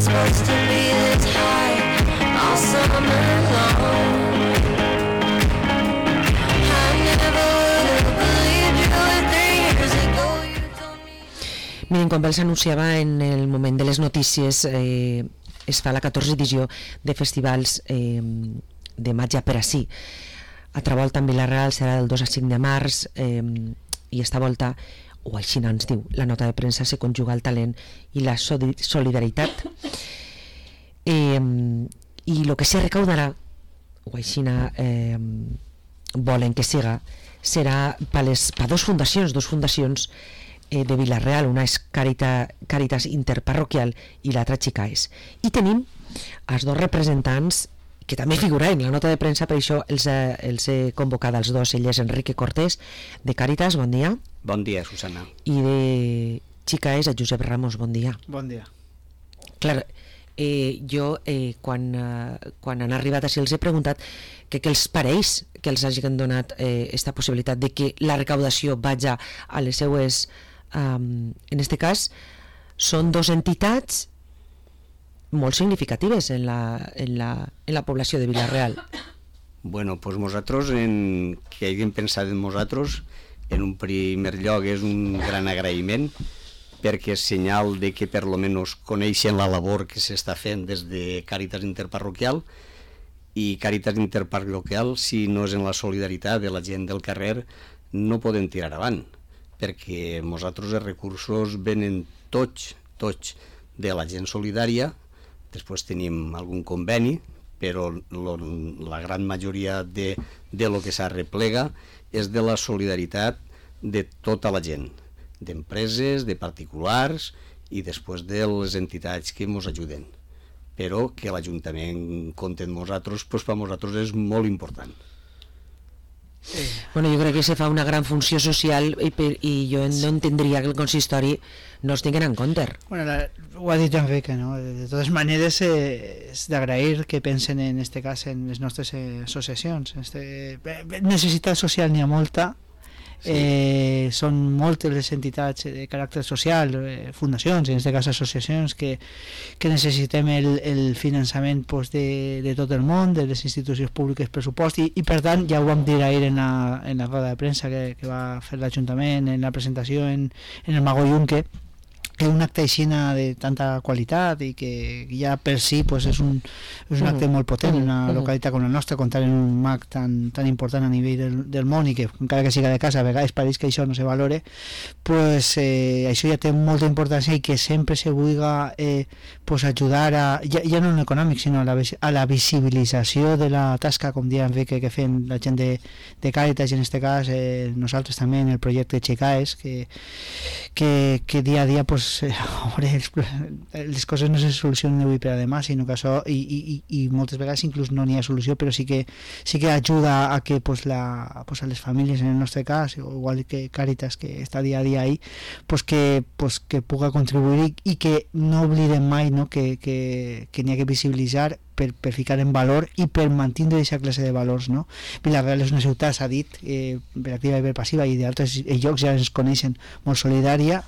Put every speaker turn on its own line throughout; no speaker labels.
supposed to be this high all summer long. I never would have believed you 3 years ago. You told me.
Miren, com els anunciava en el moment de les notícies, es fa la 14ª edició de festivals de Matja per ací. Altra volta en Vila-real serà del 2 al 5 de març, i esta volta, o així ens diu la nota de premsa, se conjuga el talent i la solidaritat, i el que se recaudarà, o així volen que siga, serà per dos fundacions de Vila-real. Una és Càritas Interparroquial i l'altra Xicaes, i tenim els dos representants que també figura en la nota de premsa, per això els he convocat els dos. Ell és Enrique Cortés, de Càritas, bon dia.
Bon dia, Susana.
I de Xicaes, a Josep Ramos, bon dia.
Bon dia.
Clar, jo quan han arribat així els he preguntat què els pareix que els hagin donat esta possibilitat de que la recaudació vagi a les seues, en este cas són dos entitats molt significatives en la població de Vila-real.
Bueno, pues nosaltres, que haguem pensat en nosaltres, en un primer lloc és un gran agraïment, perquè és senyal de que per lo menos coneixen la labor que s'està fent des de Càritas Interparroquial, i Càritas Interparroquial, si no és en la solidaritat de la gent del carrer, no podem tirar avant, perquè nosaltres els recursos venen tots de la gent solidària. Després tenim algun conveni, però la gran majoria de lo que s'arreplega és de la solidaritat de tota la gent, d'empreses, de particulars i després de les entitats que ens ajuden. Però que l'Ajuntament compti amb nosaltres, doncs per nosaltres és molt important.
Bueno, jo crec que se fa una gran funció social i jo no entendria que el consistori no es tinguin en compte.
Bueno, ho ha dit Enrique, ¿no? De totes maneres és d'agrair que pensen en este cas en les nostres associacions. Necessitat social n'hi ha molta. Són moltes les entitats de caràcter social, fundacions, en aquest cas associacions, que necessitem el finançament de tot el món, de les institucions públiques, pressupost, i per tant ja ho vam dir ahir en la roda de premsa que va fer l'Ajuntament, en la presentació en el Mago Yunque, que un acte així de tanta qualitat i que ja per si és un acte molt potent en una localitat com la nostra, comptar en un mag tan important a nivell del món, i que encara que siga de casa a vegades pareix que això no se valore, això ja té molta importància, i que sempre se vulgui ajudar ja no en econòmic sinó a la visibilització de la tasca, com deia Enrique, que fem la gent de Càritas, i en aquest cas nosaltres també en el projecte Xicaes, que dia a dia les coses no se solucionen d'avui per a demà, sinó que això i moltes vegades inclús no n'hi ha solució, però sí que ajuda a que a les famílies, en el nostre cas, igual que Càritas, que està dia a dia ahí, que puga contribuir, i que no oblidem mai, no, que n'hi ha que visibilitzar per ficar en valor i per mantenir aquesta classe de valors, no? Vila-real és una ciutat, s'ha dit, per activa i per passiva, i d'altres llocs ja ens coneixen, molt solidària,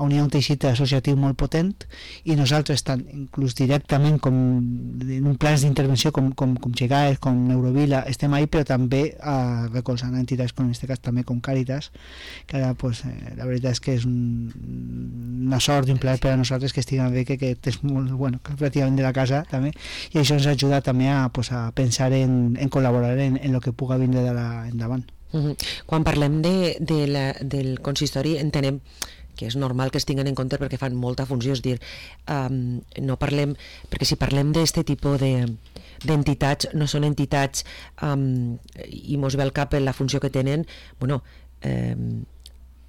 on hi ha un teixit associatiu molt potent, i nosaltres, tant inclús directament com en un plans d'intervenció com Xicaes, com Neurovila, estem ahí, però també recolzant entitats com en aquest cas també com Càritas, que ara la veritat és que és una sort i un plaer per a nosaltres que estiguen bé, que és molt bueno, que pràcticament de la casa també, i això ens ajuda també a pensar en col·laborar en el que puga vindre endavant.
Quan parlem del consistori entenem que és normal que es tinguen en compte perquè fan molta funció, és dir, no parlem, perquè si parlem d'aquest tipus d'entitats, no són entitats i mos ve al cap la funció que tenen. Bueno,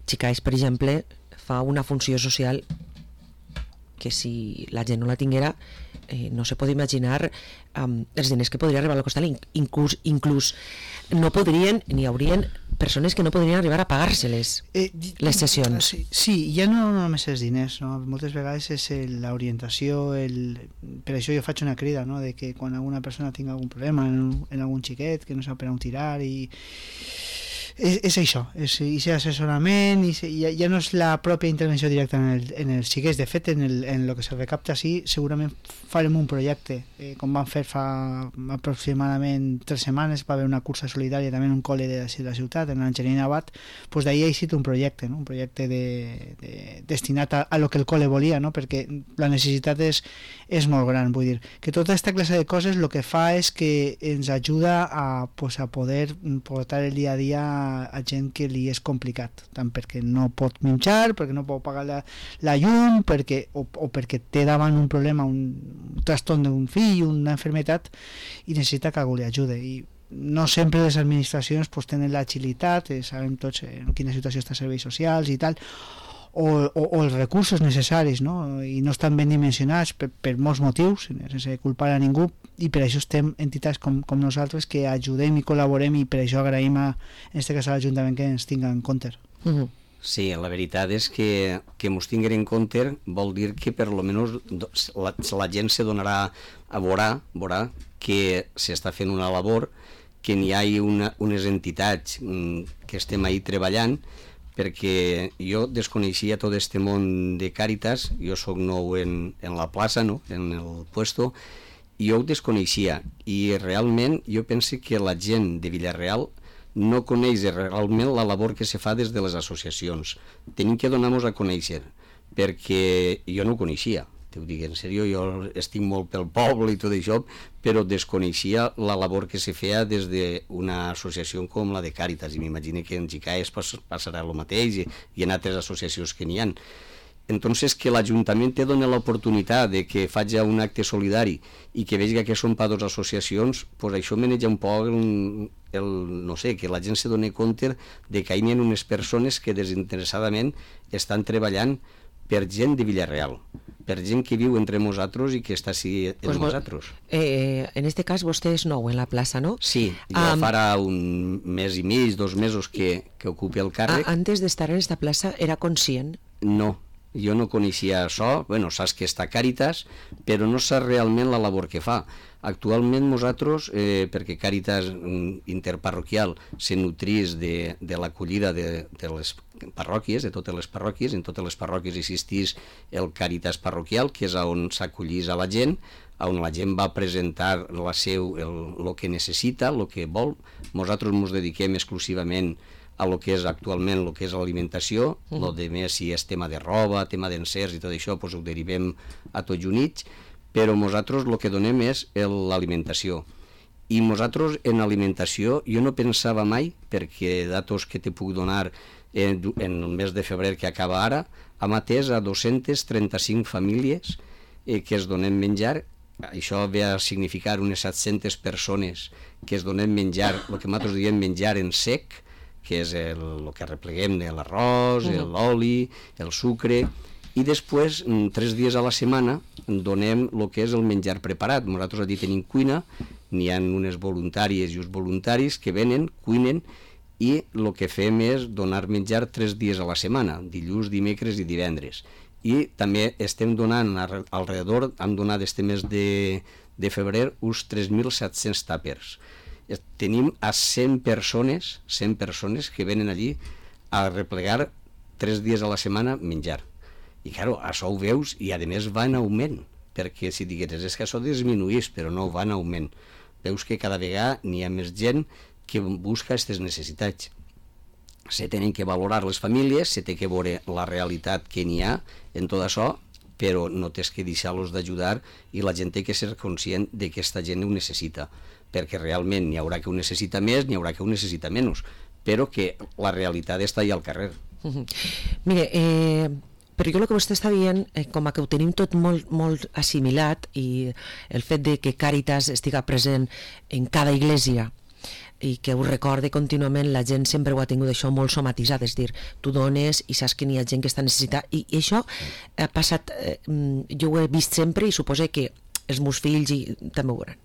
Xicaes, per exemple, fa una funció social que si la gent no la tinguera no se pot imaginar els diners que podria arribar a costar, inclús no podrien, n'hi haurien persones que no podrien arribar a pagar-se-les les sessions.
Sí, ja no només els diners, no? Moltes vegades és l'orientació, per això jo faig una crida, no? De que quan alguna persona tingui algun problema en algun xiquet que no sap per on tirar, i és això, és assessorament, ja no és la pròpia intervenció directa en els xiquets. De fet, en el que se recapta sí, segurament farem un projecte, com vam fer fa aproximadament 3 setmanes, va haver una cursa solidària també en un col·le de la ciutat, en l'Angelina Abat, doncs d'ahir ha eixit un projecte, no? Un projecte destinat a lo que el col·le volia, no? Perquè la necessitat és molt gran, vull dir, que tota aquesta classe de coses el que fa és que ens ajuda a poder portar el dia a dia a gent que li és complicat, tant perquè no pot menjar, perquè no pot pagar la llum, o perquè té davant un problema, un trastorn d'un fill, una enfermetat, i necessita que algú li ajude. I no sempre les administracions pues, tenen l'agilitat, sabem tots en quina situació està serveis socials i tal, o els recursos necessaris, no? I no estan ben dimensionats per molts motius, sense culpar a ningú, i per això estem entitats com nosaltres que ajudem i col·laborem, i per això agraïm en aquest cas a l'Ajuntament que ens tinga en compte.
Sí, la veritat és que ens tinguin en compte vol dir que per lo menos la gent se donarà a veurà que s'està fent una labor, que n'hi ha unes entitats que estem ahí treballant, perquè jo desconeixia tot este món de Càritas, jo sóc nou en la plaça, no? En el puesto, i jo ho desconeixia, i realment jo penso que la gent de Villarreal no coneix realment la labor que se fa des de les associacions. Tenim que donar-nos a conèixer, perquè jo no ho coneixia. T'ho dic en sèrio, jo estic molt pel poble i tot això, però desconeixia la labor que se feia des d'una associació com la de Càritas, i m'imagino que en Gicaes passarà el mateix, i en altres associacions que n'hi ha. Entonces, que l'Ajuntament te dona l'oportunitat de que faci un acte solidari i que vegi que són per dues associacions, pues això maneja un poc no sé, que la gent se doni compte de que hi ha unes persones que desinteressadament estan treballant per gent de Villarreal, per gent que viu entre nosaltres i que està així entre nosaltres.
En este cas vostè és nou en la plaça, no?
Sí, jo farà un mes i mig, 2 mesos que ocupi el càrrec.
Antes d'estar en esta plaça era conscient?
No, jo no coneixia això, bueno, saps que està Càritas, però no saps realment la labor que fa. Actualment nosaltres, perquè Càritas interparroquial se nutrís de l'acollida de les parròquies, de totes les parròquies, en totes les parròquies existís el Càritas parroquial, que és on s'acollís a la gent, on la gent va presentar el que necessita, el que vol. Nosaltres ens dediquem exclusivament a lo que és actualment, el que és l'alimentació, el de més, si és tema de roba, tema d'encerts i tot això, doncs ho derivem a tots units, però nosaltres el que donem és l'alimentació. I nosaltres en alimentació jo no pensava mai, perquè datos que te puc donar en el mes de febrer que acaba ara, hem atès a 235 famílies que es donem menjar. Això ve a significar unes 700 persones que es donem menjar, el que nosaltres diem menjar en sec, que és el que repleguem de l'arròs, l'oli, el sucre, i després, 3 dies a la setmana, donem el que és el menjar preparat. Nosaltres allí tenim cuina, n'hi ha unes voluntàries i uns voluntaris que venen, cuinen, i el que fem és donar menjar 3 dies a la setmana, dilluns, dimecres i divendres. I també estem donant, hem donat este mes de febrer, uns 3.700 tàpers. Tenim a 100 persones que venen allí a replegar 3 dies a la setmana menjar. I clar, això ho veus i a més va en augment, perquè si digueres és que això disminuís, però no, va en augment. Veus que cada vegada n'hi ha més gent que busca aquestes necessitats. Se tenen que valorar les famílies, se té que veure la realitat que n'hi ha en tot això, però no tens que deixar-los d'ajudar, i la gent té que ser conscient de que aquesta gent ho necessita, perquè realment n'hi haurà que ho necessita més, n'hi haurà que ho necessita menys, però que la realitat està allà al carrer.
Mire, però jo el que vostè està dient, com que ho tenim tot molt assimilat, i el fet de que Càritas estiga present en cada església i que ho recorde contínuament, la gent sempre ho ha tingut això molt somatitzat, és dir, tu dones i saps que n'hi ha gent que està necessitada, i això ha passat, jo ho he vist sempre, i suposo que els meus fills també ho veuran.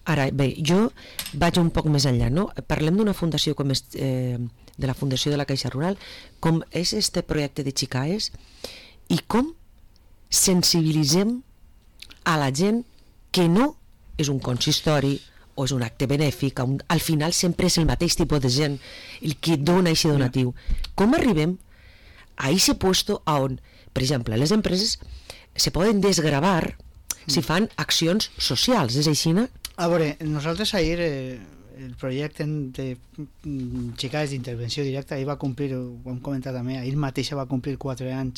Ara, bé, jo vaig un poc més enllà, no? Parlem d'una fundació com és de la Fundació de la Caixa Rural, com és este projecte de Xicaes, i com sensibilitzem a la gent que no és un consistori o és un acte benèfic, al final sempre és el mateix tipus de gent el que dona aquest donatiu. Com arribem a aquest puesto on, per exemple, les empreses se poden desgravar si fan accions socials, és així, no?
A veure, nosaltres ahir el projecte de xicades d'intervenció directa ahir va complir, ho hem comentat també, ahir mateixa va complir 4 anys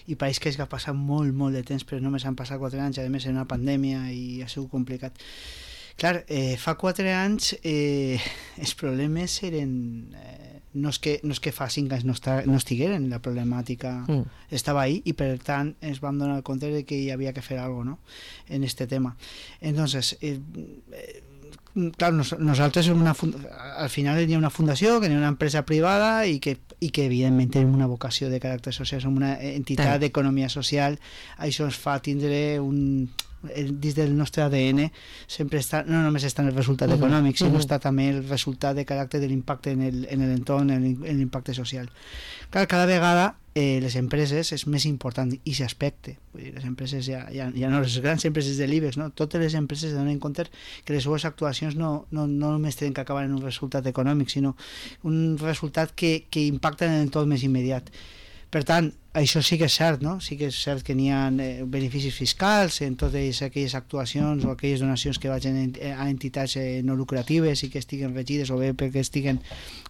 i pareix que és que ha passat molt, molt de temps, però només han passat 4 anys, a més en una pandèmia i ha sigut complicat. Clar, fa 4 anys els problemes eren... no és que fa 5 anys no estigueren, la problemàtica estava ahí i per tant ens vam donar compte de que hi havia que fer alguna cosa, ¿no?, en este tema. Entonces, claro, nosaltres al final hi ha una fundació, que hi ha una empresa privada i que evidentment tenim una vocació de caràcter social, som una entitat d'economia social, això ens fa tindre dins del nostre ADN sempre està, no només està en el resultat econòmic, sinó està també el resultat de caràcter de l'impacte en l'entorn, en l'impacte social. Clar, cada vegada les empreses és més important i s'aspecte. Les empreses ja no les grans empreses de l'IBEX, no? Totes les empreses donen compte que les seues actuacions no només tenen que acabar en un resultat econòmic, sinó un resultat que impacta en l'entorn més immediat. Per tant, això sí que és cert, no? Sí que és cert que n'hi ha beneficis fiscals en totes aquelles actuacions o aquelles donacions que vagin a entitats no lucratives i que estiguen regides o bé perquè estiguen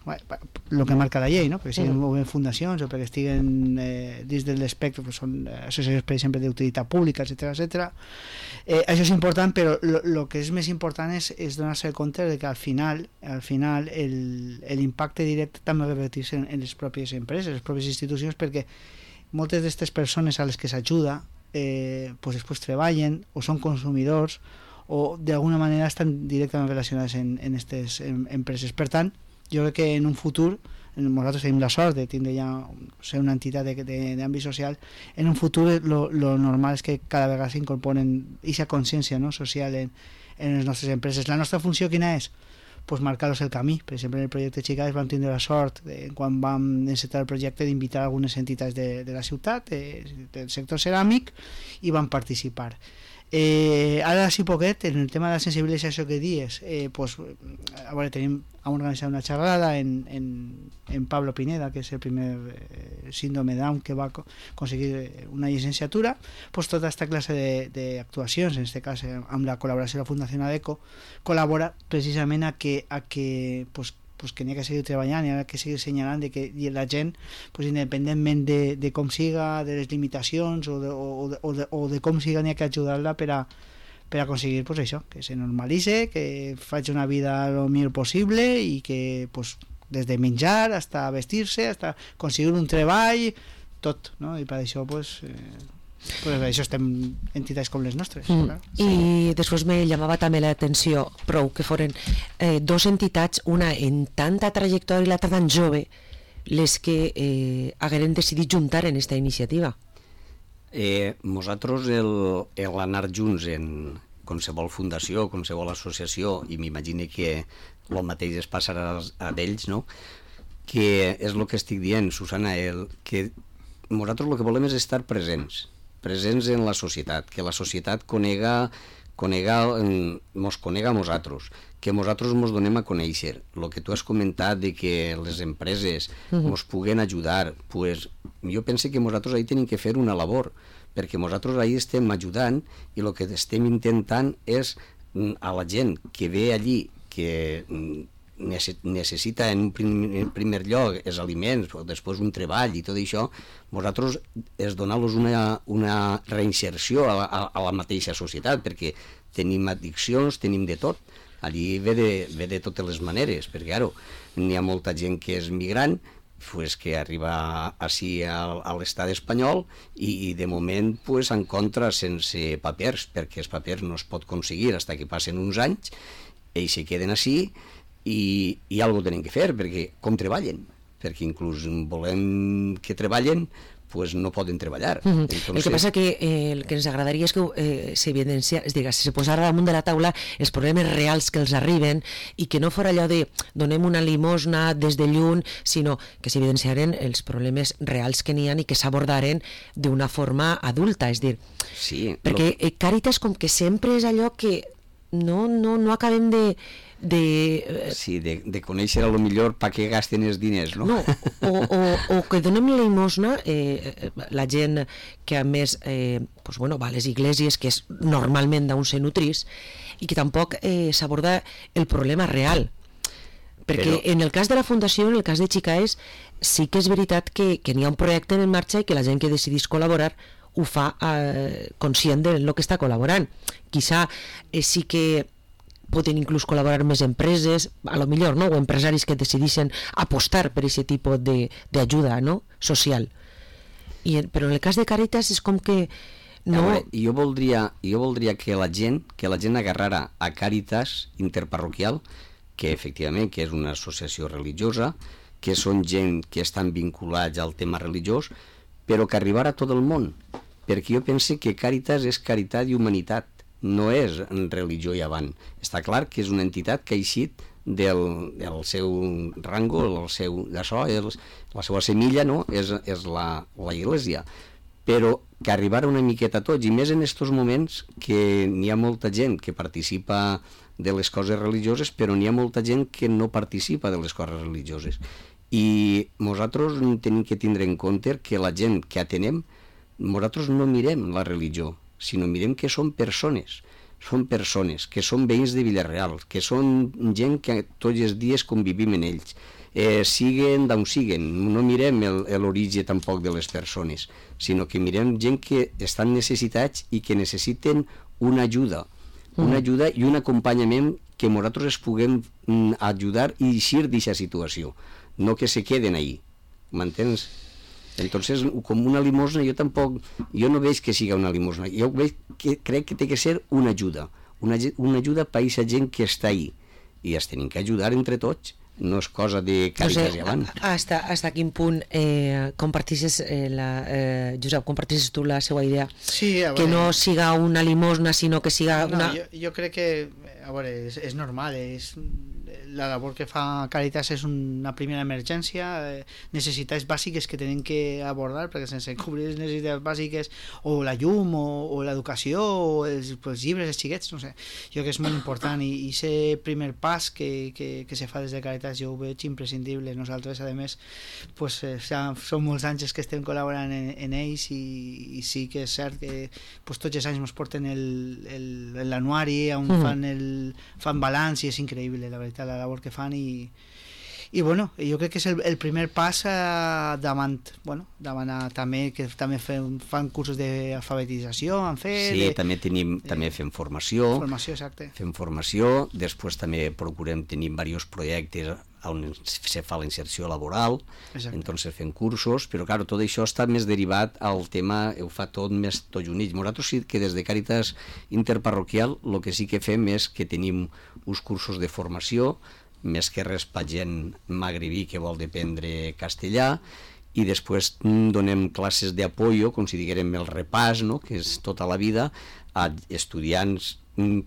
el que marca la llei, no? Perquè siguin o bé fundacions o perquè estiguen dins de l'espectre, són associacions, per exemple, d'utilitat pública, etc. Això és important, però el que és més important és donar-se compte de que al final l'impacte directe també revertir-se en les pròpies empreses, les pròpies institucions, perquè moltes d'aquestes persones a les que s'ajuda pues després treballen o són consumidors o d'alguna manera estan directament relacionades en aquestes empreses. Per tant, jo crec que en un futur, nosaltres tenim la sort de tindre ja ser una entitat d'àmbit social, en un futur lo normal és que cada vegada s'incorporen aquesta consciència, no?, social en les nostres empreses. La nostra funció quina és? Pues marcar-los el camí. Per exemple, en el projecte Xicades vam tindre la sort quan vam encetar el projecte d'invitar algunes entitats de la ciutat, del sector ceràmic, i van participar. Ara, si poquet, en el tema de la sensibilització que dies, pues, a veure, hem organitzat una xerrada en Pablo Pineda, que és el primer síndrome Down que va aconseguir una llicenciatura, pues tota aquesta classe d'actuacions, en aquest cas amb la col·laboració de la Fundació ADECO, col·labora precisament a que que n'hi ha que seguir treballant, n'hi ha que seguir assenyalant de que la gent, independentment de com siga, de les limitacions o de com siga, n'hi ha que ajudar-la per a aconseguir això, que se normalitze, que faci una vida el millor possible i que des de menjar fins a vestir-se, fins a aconseguir un treball, tot, no? I per això això estem entitats com les nostres.
I després me llamava també l'atenció prou que foren 2 entitats, una en tanta trajectòria i l'altra tan jove, les que hagueren decidit juntar en aquesta iniciativa.
Nosaltres l'anar junts en qualsevol fundació, qualsevol associació, i m'imagino que el mateix es passarà a ells, no?, que és el que estic dient, Susana, que nosaltres el que volem és estar presents en la societat, que la societat mos conega a nosaltres, que nosaltres mos donem a conèixer. El que tu has comentat de que les empreses mos puguen ajudar, pues, jo penso que nosaltres ahí tenim que fer una labor, perquè nosaltres ahí estem ajudant i el que estem intentant és a la gent que ve allí, que necessita en un primer lloc els aliments, o després un treball i tot això, nosaltres és donar-los una reinserció a la mateixa societat, perquè tenim addiccions, tenim de tot, allí ve de totes les maneres, perquè claro, n'hi ha molta gent que és migrant, que arriba així a l'estat espanyol i de moment s'encontra sense papers, perquè els papers no es pot aconseguir fins que passen uns anys, ells se queden així i alguna cosa tenen que fer, perquè com treballen? Perquè inclús volem que treballen, no poden treballar.
Entonces... El que passa que el que ens agradaria és que s'evidencia, és dir, se posara damunt de la taula els problemes reals que els arriben i que no fora allò de donem una limosna des de lluny, sinó que s'evidenciaren els problemes reals que n'hi ha i que s'abordaren d'una forma adulta, és dir,
sí,
perquè Càritas com que sempre és allò que no acabem de
Sí, de conèixer a lo millor per què gasten els diners, no?
no, o que donem limosna, la gent que a més pues bueno, va a les iglesias, que és normalment d'on se nutrís, i que tampoc s'aborda el problema real. Perquè en el cas de la Fundació, en el cas de Xicaes, sí que és veritat que n'hi ha un projecte en marxa i que la gent que decidís col·laborar ho fa conscient de lo que està col·laborant. Quizà sí que poden inclús col·laborar més empreses, a lo millor, no? O empresaris que decideixen apostar per aquest tipus d'ajuda, no? Social. Però en el cas de Càritas és com que no...
veure, jo voldria que la gent agarrara a Càritas Interparroquial, que efectivament que és una associació religiosa, que són gent que estan vinculats al tema religiós, però que arribara a tot el món, perquè jo pense que Càritas és caritat i humanitat, no és religió i avant. Està clar que és una entitat que ha eixit del seu rango, la seva semilla, no? és la Iglesia, però que arribara una miqueta a tots, i més en aquests moments que n'hi ha molta gent que participa de les coses religioses, però n'hi ha molta gent que no participa de les coses religioses. I nosaltres tenim que tindre en compte que la gent que atenem, nosaltres no mirem la religió, sinó mirem que són persones, que són veïns de Villarreal, que són gent que tots els dies convivim en ells, siguen d'on siguen, no mirem l'origen tampoc de les persones, sinó que mirem gent que estan necessitats i que necessiten una ajuda i un acompanyament que nosaltres es puguem ajudar i eixir d'aquesta situació, no que se queden ahí, m'entens? Entonces, com una limosna, jo no veig que siga una limosna, jo crec que té que ser una ajuda per a aquesta gent que està ahí, i es tenim que ajudar entre tots, no és cosa de Càritas i avant.
Hasta quin punt compartisses Josep, compartisses tu la seva idea?
Sí,
que no siga una limosna, sinó que siga una...
Jo crec que, a veure, és normal, la labor que fa Càritas és una primera emergència, necessitats bàsiques que tenen que abordar, perquè sense cobrir les necessitats bàsiques, o la llum, o l'educació, o els llibres, els xiquets, no sé, jo crec que és molt important, i aquest primer pas que se fa des de Càritas jo ho veig imprescindible. Nosaltres, a més, pues, són molts anys que estem col·laborant en ells, i sí que és cert que pues, tots els anys ens porten l'anuari on fan balanç, i és increïble, la veritat, la labor que fan, i bueno, jo crec que és el primer pas davant també, que també fan cursos d'alfabetització,
sí, també fem formació,
exacte.
Fem formació, després també procurem tenir diversos projectes on se fa la inserció laboral, entonces fem cursos, però clar, tot això està més derivat al tema, ho fa tot més tots units. Nosaltres sí que des de Càritas Interparroquial el que sí que fem és que tenim uns cursos de formació, més que res per gent magribí que vol aprendre castellà, i després donem classes d'apoyo, com si diguérem el repàs, no? Que és tota la vida, a estudiants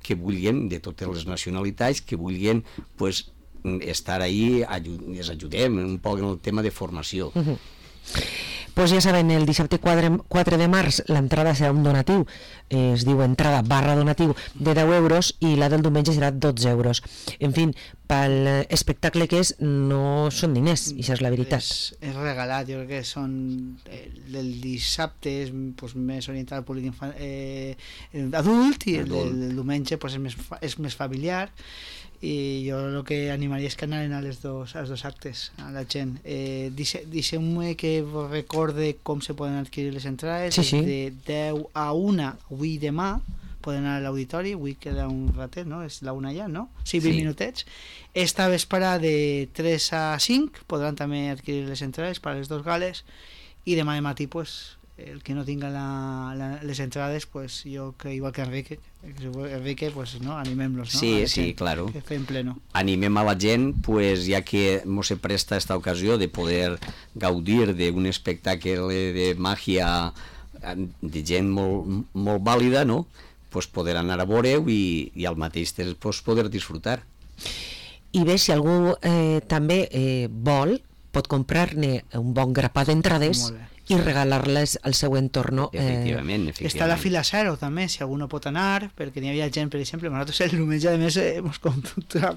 que vulguin, de totes les nacionalitats, que vulguin pues, estar ahí, les ajudem un poc en el tema de formació.
Pues ja saben, el dissabte 4 de març l'entrada serà un donatiu, es diu entrada / donatiu de 10 euros, i la del diumenge serà 12 euros. En fi, pel espectacle que és, no són diners, i això és la veritat.
És regalat, jo crec que són el dissabte és pues, més orientat al públic adult, i el diumenge pues, és més familiar, i jo el que animaria és que anaven als dos actes a la gent. Deixeu-me que recorde com se poden adquirir les entrades.
Sí.
De 10 a 1 avui i demà poden anar a l'auditori, avui queda un ratet, no? És la 1 ja, no? Sí, 20 minutets. Esta vesprada de 3 a 5 podran també adquirir les entrades per a les dos gales, i demà de matí pues, el que no tinga les entrades, pues, jo que igual que Enrique, pues, no, animem-los, ¿no?
Sí, claro.
Que fem pleno.
Animem a la gent, pues, ja que mos se presta esta ocasió de poder gaudir d'un espectacle de màgia de gent molt vàlida, no? Pues poder anar a veure-ho i al mateix temps pues, poder disfrutar.
I bé, si algú també vol, pot comprar-ne un bon grapat d'entrades i regalar-les al seu entorn.
Efectivament.
Està la fila 0 també, si algú no pot anar, perquè n'hi havia gent, per exemple, nosaltres el diumenge a més ens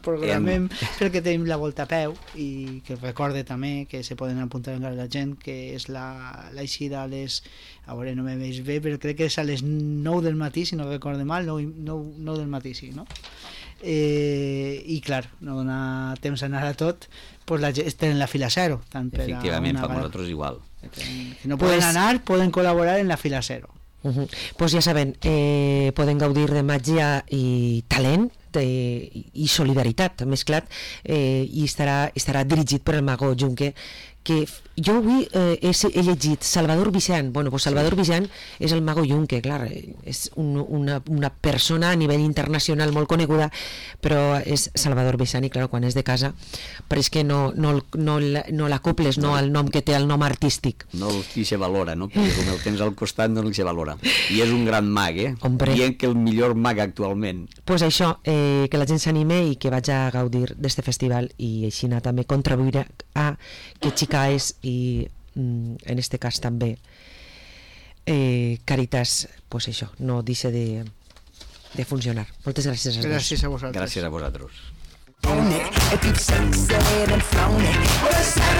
programem perquè tenim la volta a peu, i que recorde també que se poden apuntar encara la gent, que és l'eixida a les, a veure, no me veig bé, però crec que és a les 9 del matí, si no recorde mal, 9 del matí, sí, no? I clar, no dona temps a anar a tot, pues la gent està en la fila 0 tant per
Efectivament, per nosaltres igual.
Que no poden anar, poden col·laborar en la fila 0.
Pues ja saben, poden gaudir de màgia i talent i solidaritat mesclat, i estarà dirigit per el mago Junque, que jo avui he llegit Salvador Vicent. Bueno, pues Salvador Vicent és el mago Junque, clar, és una persona a nivell internacional molt coneguda, però és Salvador Vicent, i clar, quan és de casa, però és que no l'acoples, no al nom que té, el nom artístic.
No se valora, no? Perquè com el tens al costat no se valora. I és un gran mag,
Hombre.
Dient que el millor mag actualment.
Pues això, que la gent s'anime i que vaig a gaudir d'este festival, i així també contribuir a que Chicaes i en este cas també Caritas, pues això, no deixa de funcionar. Moltes gràcies a tots.
Gràcies a vosaltres.
Gràcies a vosaltres.
If you've sexed and flown it, well, it's Saturday